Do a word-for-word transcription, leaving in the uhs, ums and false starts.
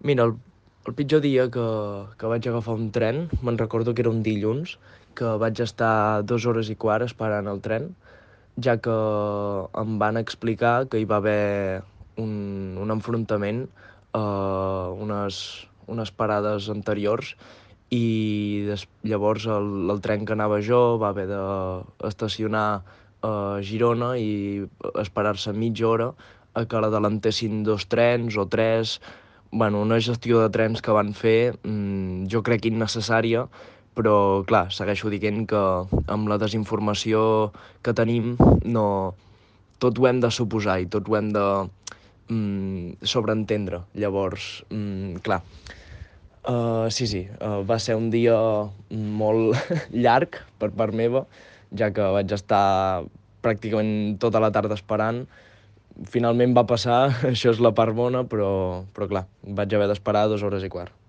Mira, el, el pitjor dia que, que vaig agafar un tren, me'n recordo que era un dilluns, que vaig estar dues hores i quart esperant el tren, ja que em van explicar que hi va haver un, un enfrontament a unes, unes parades anteriors i des, llavors el, el tren que anava jo va haver d'estacionar a Girona i esperar-se mitja hora a que l'adelantessin dos trens o tres. Bueno, una gestió de trens que van fer, mmm, jo crec innecessària, però clar, segueixo dient que amb la desinformació que tenim no, tot ho hem de suposar i tot ho hem de mm, sobreentendre. Llavors, mm, clar, uh, sí, sí, uh, va ser un dia molt llarg per part meva, ja que vaig estar pràcticament tota la tarda esperant. Finalment va passar, això és la part bona, però, però clar, vaig haver d'esperar dues hores i quart.